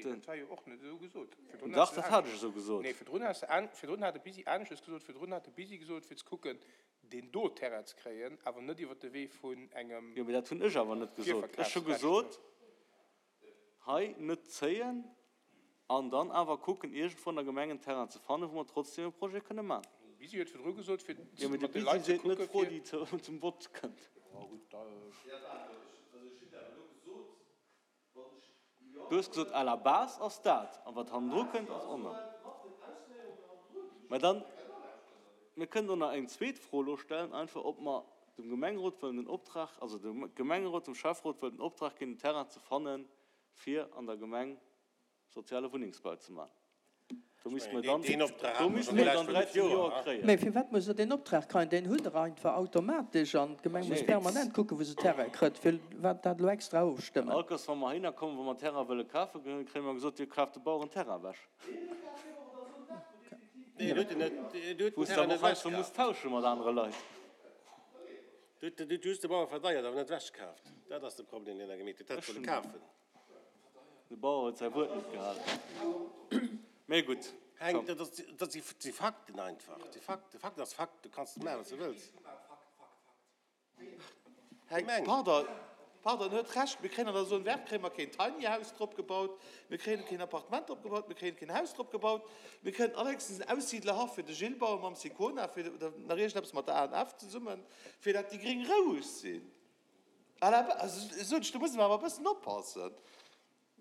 Nee, dat war jo och net esou gesot. Virdrun Dach, dat hat ech esou gesot. Nee, virdrun has de an, virdrun hat de Bisi aneschters gesot. Virdrun hat de Bisi gesot, fir ze kucken, deen do Terrain ze kréien, awer net iwwert de Wee vun engem Jo, mee dat hunn ech awer net gesot. Ech hu gesot, hei net zéien an dann awer kucken, iergendwou an der Gemeng en Terrain ze fannen, wou mer trotzdem e Projet kënne maachen. De Bisi huet virdru gesot, fir Jo, mee de mat de Leit Bisi ze seet net kucken, d'Fro, fir. déi zum Vott kënnt. Du hues gesot, à la base ass dat, a wat hannendru kënnt, ass och nach. Mä dann, mir kënnen och nach eng zweet Fro elo stellen, einfach, ob mer dem Gemengerot wëllen den Optrag, also dem Gemengerot, dem Schäfferot wëllen den Optrag ginn, en Terrain ze fannen, fir an der Gemeng soziale Wunnengsbau ze maachen. Do misste mer dann, do misste mer dann 13 Joer kréien. Mä firwat muss Der deen Optrag kréien? Deen hutt Der einfach automatesch an d'Gemeng muss permanent kucken, wou se Terrain kritt. Firwat dat elo extra ofstëmmen? All Kéiers, wa mer heihinner kommen, wa mer Terrain wëlle kafen, kréie mer gesot, Dir kaaft de Baueren Terrain ewech. Wou s de awer och heiansdo muss tausche mat anere Leit. Du hues de Bauer verdeiert, awer net ewechkaaft. Dat ass de Problem, deen Der gemeet hutt. Hätt wëlle kafen. De Bauer huet säi Wuert net gehalen. Mee gutt. Heng, dat ass, dat si Fakten einfach. Dat si Fakten. Fakt ass Fakt. Du kanns maachen, wat s de wëlls. Heng, pardon, pardon, en huet Recht. Mir kréien an der Zone verte kréie mer keen Tiny House drop gebaut, mir kréien keen Appartement drop gebaut, mir kréien keen Haus drop gebaut. Mir kënnen allerhéchstens en Aussiedlerhaff fir de Gilles baue mam Sicona, fir, oder nach iergendeppes mat der ANF zesummen, fir dat déi Gréng roueg sinn. À la base, sot ech, do musse mer awer e bëssen oppassen.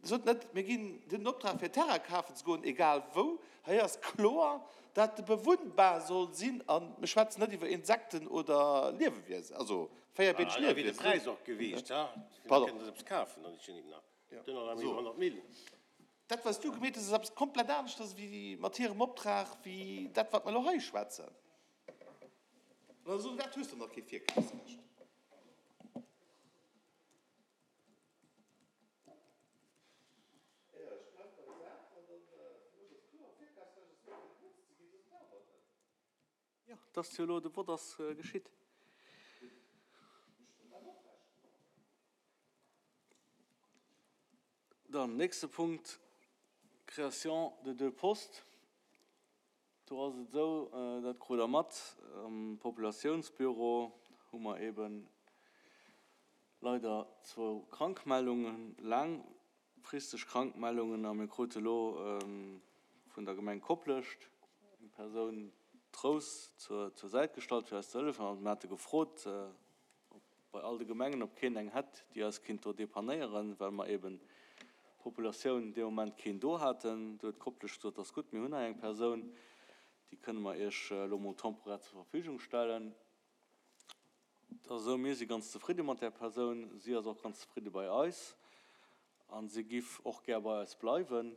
Sot net, mir ginn den Optrag fir Terrain kafen ze goen, egal wou. Hei ass kloer, dat e bewunnbar soll sinn a mir schwätzen net iwwer Insekten oder Liewewiesen, also véierbeeneg Liewewiesen. Da wier de Präis och gewiescht, ha? Pardon. Kënnen se eppes kafen, dann jo. Dat, wat s du gemeet hues, ass eppes komplett aneschters wéi mat hirem Optrag, wéi dat, wat mer elo hei schwätzen. An esou wäit hues de nach kee Virkafsrecht. Jo, et ass jo elo, de Vott ass geschitt. Dann, nächste Punkt, Création de deux postes. Do ass et esou, dat krut Der mat, am Populatiounsbüro hu mer eebe leider zwou Krankmeldungen, laangfristeg Krankmeldungen, a mir krute elo vun der Gemeng Koplescht eng Persoun, d'Rous, zur Säit gestallt, fir eis ze hëllefen. Also mir hate gefrot, ob bei all de Gemengen, ob keen eng hätt, déi eis kinnt do depannéieren, well mer eben d'Populatioun dee Moment keen do haten. Do huet Koplescht gesot, Ass gutt, mir hunn hei eng Persoun, déi kënne mer Iech elo mol temporär zur Verfügung stellen. Et ass esou, mir si ganz zefridde mat där Persoun, si ass och ganz zefridde bei eis a si giff och gär bei eis bleiwen.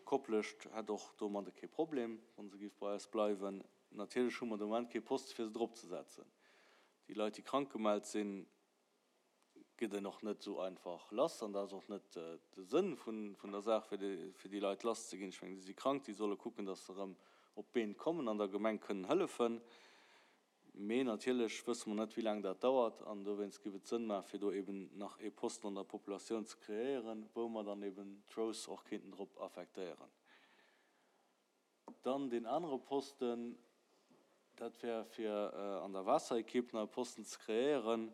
Koplescht hätt och domadde kee Problem, wa se giff bei eis bleiwen. Natierlech hu mer de Moment kee Poste fir se drop ze setzen. Déi Leit, déi krank gemellt sinn, gëtt een och net esou einfach lass. An dat ass och net de Sënn vun der Saach, fir déi Leit lass ze ginn. Ech mengen, déi si krank, déi solle kucken, datt se erëm op d'Been kommen an der Gemeng kënnen hëllefen. Mee natierlech wësse mer net, wéi laang dat dauert. An dowéinst géif et Sënn maachen, fir do eben nach ee Posten an der Populatioun ze kreéieren, wou mer dann eben d'Rose och kéinten drop affektéieren. Dann deen anere Posten, dat wär fir an der Waasserequipe nach e Posten ze kreéieren,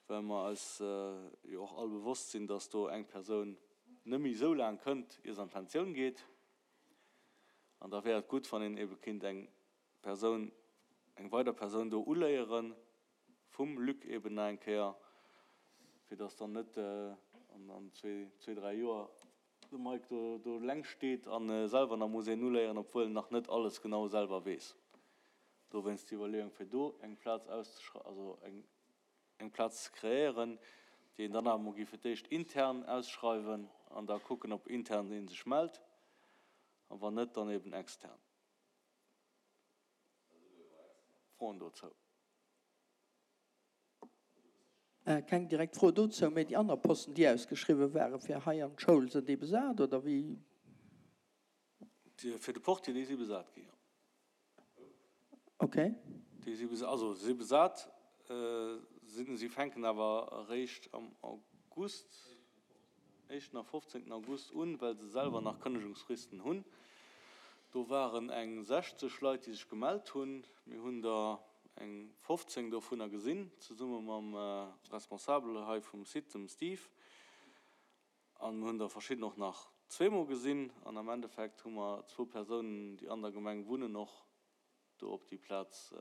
well mer eis jo och all bewosst sinn, dass do eng Persoun net méi esou laang kënnt, ier se an d'Pensioun geet. An da wär et gutt, wann een ebe kéint eng Persoun, eng weider Persoun do uléieren, vum Luc eben nach eng Kéier, fir dass dann net an zwee, dräi Joer de Mike do do eleng steet a selwer nach muss een uléieren, obwuel en nach net alles genau selwer weess. Dowéinst déi Iwwerleeung, fir do eng Plaz auszeschreiwen, also eng eng Plaz ze kreéieren, déi een dann awer emol géif fir d'éischt intern ausschreiwen an da kucken, ob intern ee sech mellt, a wann net, dann eben extern. Froen dozou? Keng direkt Fro dozou, mee déi aner Posten, déi ausgeschriwwen ware fir hei an d'Schoul, sinn déi besat oder wéi? Déi fir de Portier, déi si besat ginn, jo. Ok. Déi si besat, also si besat, sinn, si fänken awer eréischt am August. Éischten a 15. August un, well se selwer nach Kënnegungsfristen hunn. Do waren eng 60 Leit, déi sech gemellt hunn. Mir hunn der eng 15 dovunner gesinn, zesumme mam Responsabel hei vum Site, dem Steve. An mir hunn der verschidden och nach zweemol gesinn. An am Endeffekt hu mer zwou Persounen, déi an der Gemeng wunnen, och do op déi Plaz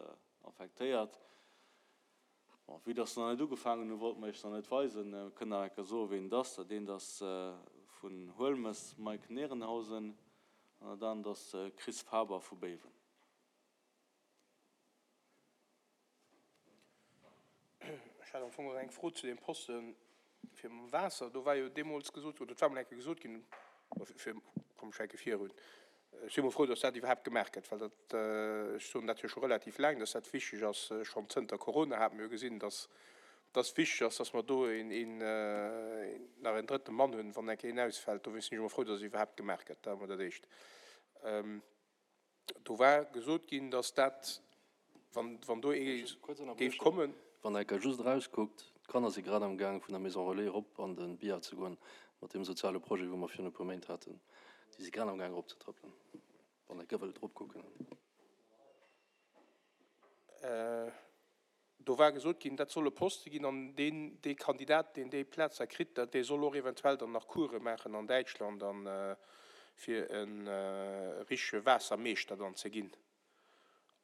affektéiert. Bon, vue dass se nach net ugefaangen hunn, wollte mer iech se nach net weisen. Mir kënnen nach eng Kéier soen, ween et ass. Dat eent ass vun Huelmes, Mike Nehrenhausen, an dat anert ass de Chris Faber vu Béiwen. Ech hat am Fong och eng Fro zu deem Poste fir mam Waasser. Do war jo deemools gesot, oder et war mol eng Kéier gesot ginn, fir, komm ech hänke virun, ech si mol frou, datt dat iwwerhaapt gemaach gëtt, well dat, ech soen dat jo scho relativ laang, datt dat wichteg ass. Schonn zënter Corona hate mir jo gesinn, datt datt wichteg ass, datt mer do een, een, nach en drëtte Mann hunn, wann eng Kéier een ausfält. Dowéinst sinn ech emol frou, datt et iwwerhaapt gemaach gëtt. Dat emol dat Éischt. Do war gesot ginn, datt dat, wann do ee géif kommen. Wann der just erauskuckt, d'Kanner si grad am Gaang vun der Maison Relais erop an de Bihar ze goen, mat deem soziale Projet, wou mer virun e puer Méint haten. Déi si grad am Gaang eropzetrëppelen, wann der wëllt eropkucken. Do war gesot ginn, dat soll e Poste ginn an deen, dee Kandidat, deen déi Plaz da kritt, dat dee soll och eventuell dann nach Course maachen an Däitschland an fir e richtege Waassermeeschter dann ze ginn.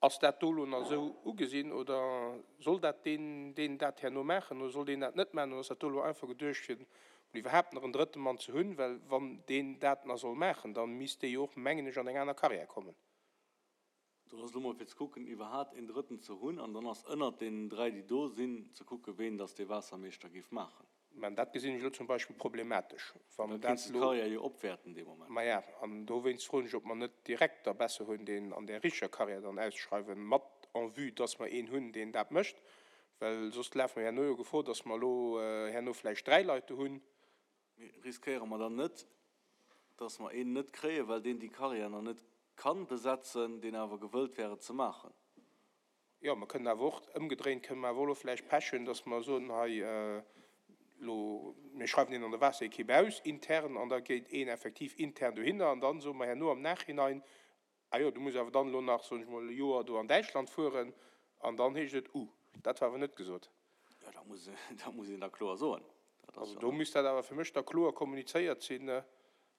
Ass dat do elo nach esou ugesinn oder soll dat deen, deen dat herno maachen oder soll deen dat net maachen oder ass dat do elo einfach geduecht fir mol iwwerhaapt nach en drëtte Mann ze hunn, well wann deen dat nach soll maachen, da misst dee jo och, mengen ech, an eng aner Carrière kommen. Do ass elo mol fir ze kucken, iwwerhaat een Drëtten ze hunn, an dann ass ënnert deenen 3, déi do sinn, ze kucken, ween dass dee Waassermeeschter géif maachen. Mä dat gesinn ech elo zum Beispill problematesch, wann dat elo. Da kéints de d'Carrière jo opwäerten dee Moment. Maja, an dowéinst froen ech, ob mer net direkt der besser hunn, deen an där richteger Carrière dann ausschreiwen, mat en vue, dass mer een hunn, deen dat mécht, well soss lafe mer herno jo Gefor, dass mer elo herno vläicht 3 Leit do hunn, Mee riskéiere mer dann net, dass mer een net kréien, well deen déi Carrière nach net kann besetzen, deen awer gewëllt wär et ze maachen? Jo, mer kënnen awer och, ëmgedréint kënnen mer awer och elo vläicht Pech hunn, dass mer soen, hei elo, mir schreiwen een an der Waasserekipp aus, intern, an da geet een effektiv intern dohinner an dann soe mer herno am Nachhinein, Ah jo, du muss awer dann elo nach, soen ech mol, e Joer do an Däitschland fueren an dann heescht et, Uh, dat war awer net gesot. Jo, dat muss, dat muss een da kloer soen. Dat ass Also do misst dat awer fir mech da kloer kommunizéiert sinn,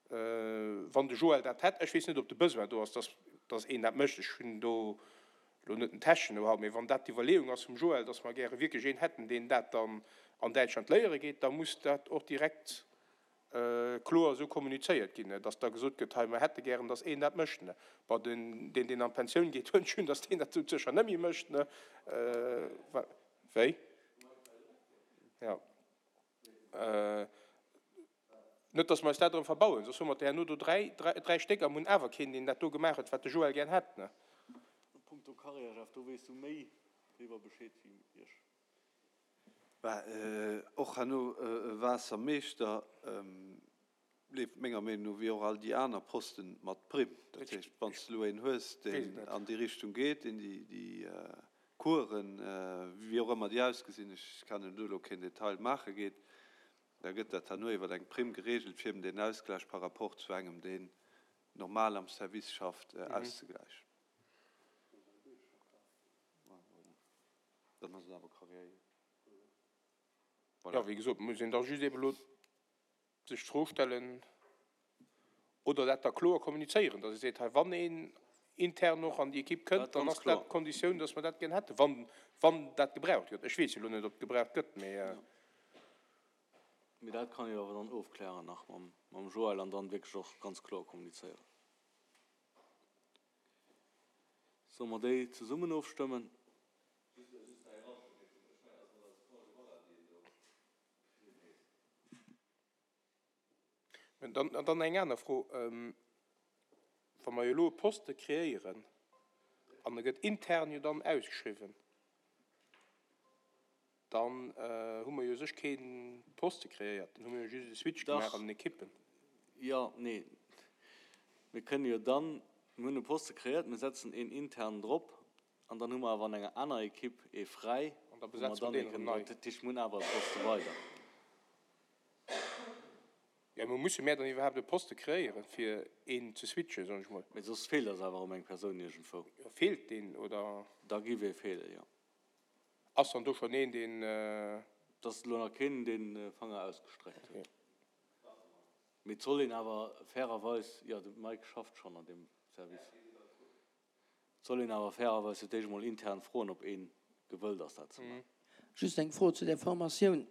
wann de Joël dat hätt. Ech weess net, ob de Besoin do ass, dass, dass een dat mécht. Ech hunn do elo net den techneschen Know-how, mee wann dat d'Iwwerleeung ass vum Joël, dass mer gäre wierklech een hätten, deen dat dann an Däitschland léiere geet, da muss dat och direkt kloer esou kommunizéiert ginn, dass da gesot gëtt, hei mer hätte gären, dass een dat mécht. Bon, deen, deen an d'Pensioun geet, huet schonn, dass deen dat sou sécher net méi mécht. Wéi? Jo. Net, dass mer eis dat erëm verbauen, soss hu mer der herno do dräi Stéck a mer hunn awer keen, deen dat do gemaach huet, wat de Joël gär hätt. Punkto Carrière, Jeff, do weess du méi driwwer Bescheed wéi ech. Bah, och herno e Waassermeeschter leeft menger Meenung no, wéi och all déi aner Posten, mat Primm. Dat heescht, wann s de elo een hues, deen an déi Richtung geet, deen déi Coursen, wéi och ëmmer déi ausgesinn, ech kennen do elo keen Detail, maache geet, da gëtt dat herno iwwer eng Primm geregelt, fir eben deen Ausgläich par rapport zu engem, deen normal am Service schafft, auszegläichen. Dann ass et awer Carrière. Voilà. Jo, wéi gesot, muss een da just eeben elo sech d'Fro stellen oder dat da kloer kommunizéieren, datt ee seet, hei, wann een intern och an déi Ekipp kënnt, dann ass dat d'Konditioun, datt mer dat gär hätten, wann, wann dat gebraucht gëtt. Ech weess jo elo net, ob et gebraucht gëtt, mee. Mee dat kann ee jo awer dann ofklären nach mam, mam Joël an dann wierklech och ganz kloer kommunizéieren. Solle mer déi zesummen ofstëmmen? An dann eng aner Fro, Wa mer jo elo e Poste kreéieren an e gëtt intern jo dann ausgeschriwwen, Dann hu mer jo u sech kee Poste kreéiert, dann hu mer jo just e Switch gemaach an den Ekippen. Jo, nee, mir kënne jo dann, mir hunn e Poste kreéiert, mir setzen een internen drop an dann hu mer awer an enger aner Ekipp ee fräi, An da wou mer besetze mer dann ee deen erëm kënnen nei. Dat heescht, mir hunn awer e Poste weider. Jo, mä musse mär dann iwwerhaapt e Poste kreéieren, fir een ze switchen, soen ech mol? Mee soss feelt eis awer erëm eng Persoun iergendwou. Jo, feelt deen, oder? Da giff ee feelen, jo. Ass dann do schonn een, deen. Et ass elo nach keen, deen de Fanger ausgestreckt huet. Mee et soll een awer fairerweis, jo, de Mike schafft schonn an deem Service. Et soll een awer fairerweis fir d'éischt emol intern froen, ob ee gewëllt ass, dat ze maachen. Just eng Fro zu där Formatioun.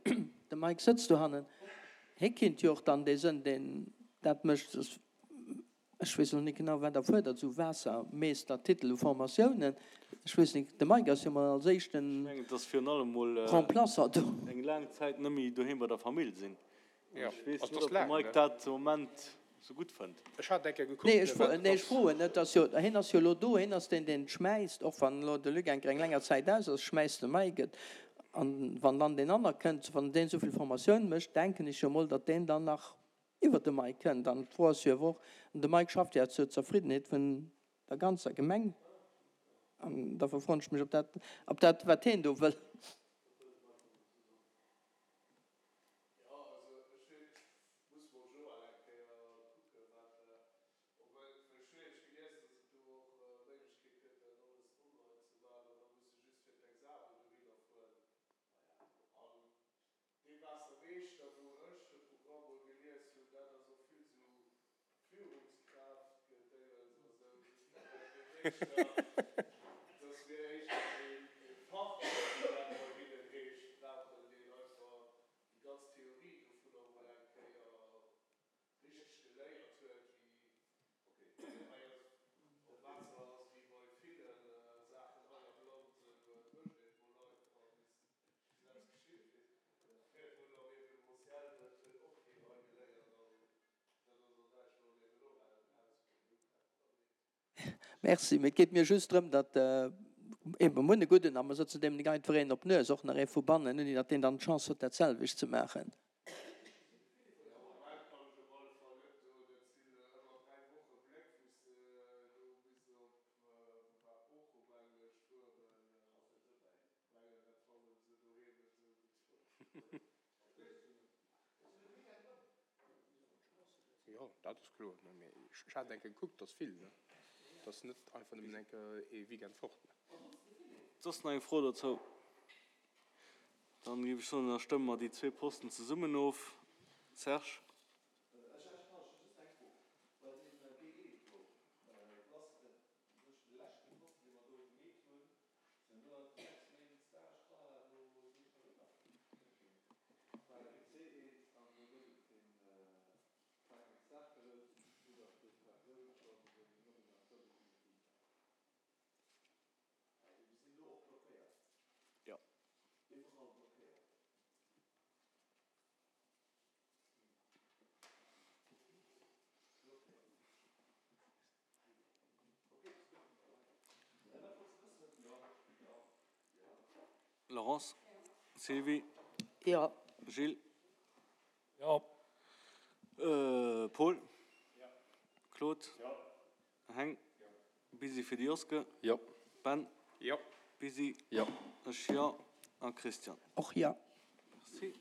De Mike sëtzt dohannen. Hie kinnt jo och dann dee sënn, deen dat mécht. Ech weess elo net genau, wat erfuerdert, esou Waassermeestertitel u Formatiounen. Ech weess net, de Mike ass jo mol als éischten Ech mengen, et ass virun allem mol Remplaçant do. eng laang Zäit net méi doheem bei der Famill sinn. Ech weess net, ob de Mike dat de Moment sou gutt fënnt. Ech hat eng Kéier gekuckt, Nee, ech froen net. Ass jo, hien ass jo elo do, hien ass deen, deen schmäisst. Och wann elo de Luc eng Kéier eng länger Zäit aus ass, schmäisst de Mike et. An wann dann deen anner kënnt, wann deen esou vill Formatioun mécht, denken ech jo mol, datt deen dann nach iwwert de Mike kënnt. An d'Fro ass jo awer och, de Mike schafft jo zur Zerfriddenheet vun der ganzer Gemeng. An da verfroen ech mech, ob dat, ob dat, wat hien do wëll. Jo, also ech hunn, ech muss mol Joël eng Kéier kucken, wat, obwuel ech hunn iergendwéi gelies, dass et do och Méiglechkeet gëtt, dat alles online ze maachen an da muss de just fir d'Examen dohinner fueren. An dee Waassermeeschter, wou ech de Programm mol gelies hunn, dat ass och vill sou Führungskraaftgedéiels a sou, dass mir éischter ee Fachmann, wéi dat bei hinnen heescht, brauchen, deen einfach déi ganz Theorie dovunner mol eng Kéier richteg geléiert huet, wéi, ok, hei ass op Waasser ass wéi bei ville Saachen hei am Land, esou et mécht een et mol einfach bis eppes geschitt. Mee vun am Événementiel, dat huet och keen hei geléiert an Merci, mee et geet mir just drëm, datt eben, mir hunn e gudden a mer sëtzen deem nik einfach een op d'Nues, och nach ee vu bannen, ouni datt deen dann d'Chance huet, dat selwecht ze maachen. Jo, dat ass kloer. Mee ech hat eng Kéier gekuckt, dat ass vill, ne? Dat ass net einfach nëmmen eng Kéier ee Weekend fort, ne? Soss nach eng Fro dozou? Dann géif ech soen, da stëmme mer déi zwee Posten zesummen of. Serge? Laurence, Sylvie, Jo. Gilles, Jo. Paul, Claude, Heng, Busy fir de Joske, Jo. Ben, Jo. Busy, Jo. Ech jo a Christian. Och jo. Merci.